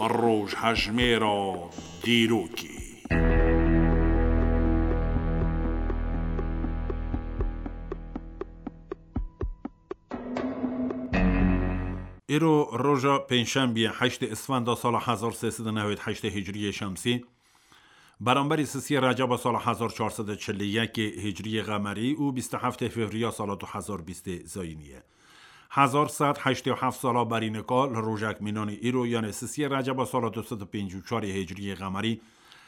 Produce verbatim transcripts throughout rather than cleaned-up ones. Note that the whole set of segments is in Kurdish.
Rojhejmêra dîrokê. Îro roja pêncşembiyê, heştê Isfenda sala hezar sê sed û newêd heştê Hicriyê Şemsî, beramberî sisiyê Receba sala hezar çar sed û çil û yekê Hicriyê Qemerî û bîst û heftê Fevriya sala du hezar bîstê Zayînî ye. Hezar sed heştê û heft sala berî nika li rojek mînanî îro, yanê sisiyê Receba sala du sed û pêncî û çarê Hicriyê Qemerî,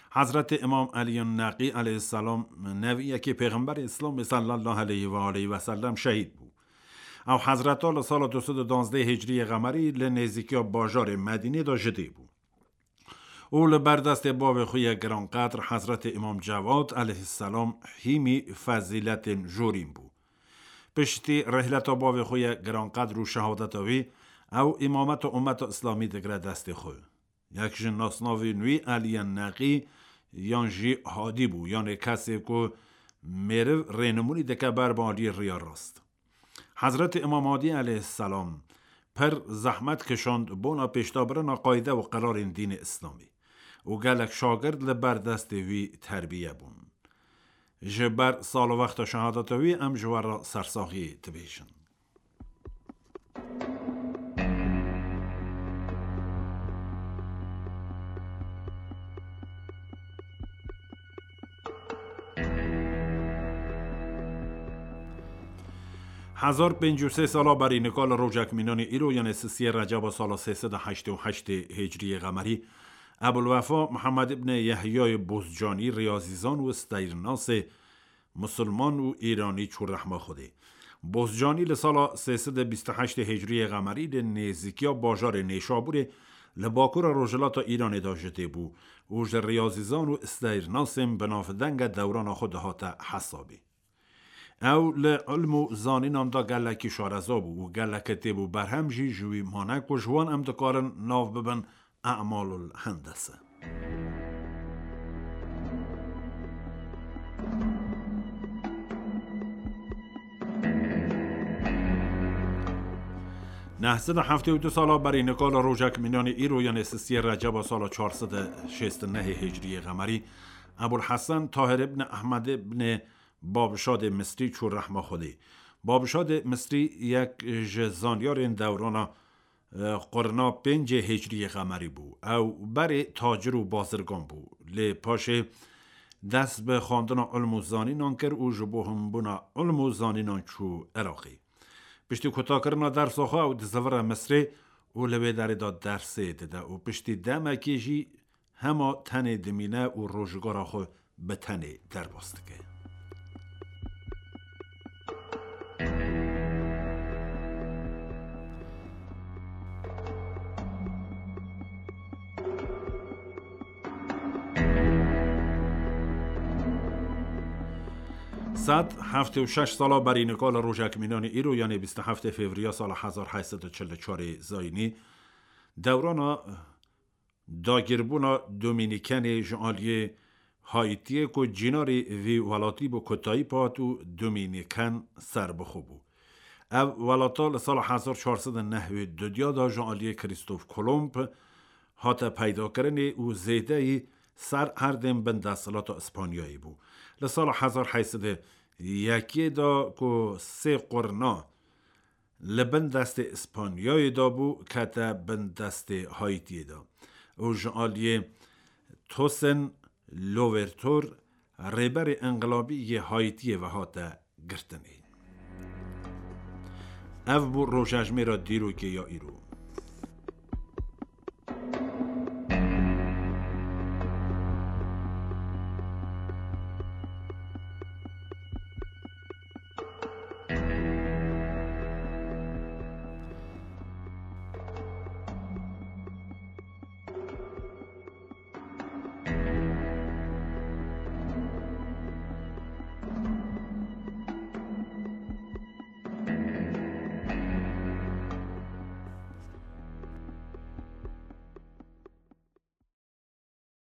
Hezretê Îmam Eliyên Neqî eleyhisselam, neviyekê Pêxemberê Îslamê sallallahu aleyhi ve aleyhi ve sellem şehîd bû. Ew hezreta li sala du sed û duwazdeh Hicriyê Qemerî li nêzîkiya bajarê Medînê de ji dê bû. Û li ber destê bavê xwe yê giranqedr Hezretê Îmam Cewad eleyhisselam hîmî fezîletên jorîn bû. Piştî rihleta bavê xwe yê giranqedr û şehadeta wî, ew îmameta ummeta Îslamî digire destê xwe. Yek ji nasnavên wî Eliyên Neqî yan jî Hadî bû, yanê kesê ku mêriv rênimûnî dike ber bi aliyê riya rast. Hezretê Îmam Hadî eleyhisselam pir zehmet kişand bona pêşdabirina qayde û qirarên dînê Îslamî û gelek şagird li ber destê wî terbiye bûn. Ji ber sal û wexta şehadeta wî em ji we re sersaxiyê dibêjin. Hezar pêncî û sê sala berî nika li rojek mînanî îro, yanê sisiyê Receba sala sê sed û heştê û heştê Hicriyê Qemerî, Ebulwefa Mihemed ibnê Yehyayê Bozcanî, riyazîzan û steyrnasê Musulman û Îranî çû rehma Xwedê. Bozcanî li sala sê sed û bîst û heştê Hicriyê Qemerî li nêzîkiya bajarê Nêşabûrê li bakura rojhilata Îranê de ji dê bû û ji riyazîzan û steyrnasên binavdenge dewrana xwe dihate hesabê. Ew li ilm û zanînan de gelekî şareza bû û gelek kitêb û berhem jî ji wî mane ku ji wan em dikarin nav bibin E'malul Hendese. Neh sed û heftê û du sala berî nika li rojek mînanî îro, yanê sisiyê Receba sala çar sed û şêst û nehê Hicriyê Qemerî, Ebul Hesen Tahir ibn Ehmed ibn Babşadê Misrî çû rehma Xwedê. Babşadê Misrî yek ji zanyarên dewrana, e, qurna pêncê Hicriyê Qemerî bû. Ew berê tacir û bazirgan bû. Lê paşê dest bi xwendina ilm û zanînan kir û ji bo hinbûna ilm û zanînan çû Iraqê. Piştî kutakirina dersa xwe ew dizivire Misrê û li wê derê de dersê dide û piştî demekê jî hema tenê dimîne û rojgara xwe bi tenê derbas dike. Sed heftê û şeş sala berî nika li rojek mînanî îro, yanê bîst û heftê Fevriya sala hezar heyt sed û çil û çarê Zayînî, dewrana dagîrbûna Domînîkenê ji aliyê Haîtiyê ku cînarî vî welatî bû, kotayî pê hat û Domînîken serbixwe bû. Ev welata li sala hezar çar sed û nehwê û du de ji aliyê Krîstof Kolomb hate peydakirinê û zêdeyî ser erdên bin desthilata Îspanyayê bû. Li sala hezar heyt sed û yekê de ku sê qurna li bin destê Îspanyayê de bû, kete bin destê Haîtiyê de û ji aliyê Toussaint Louverture, rêberê înqilabî yê Haîtiyê ve hate girtinê. Ev bû rojejmêra dîrokê ya îro.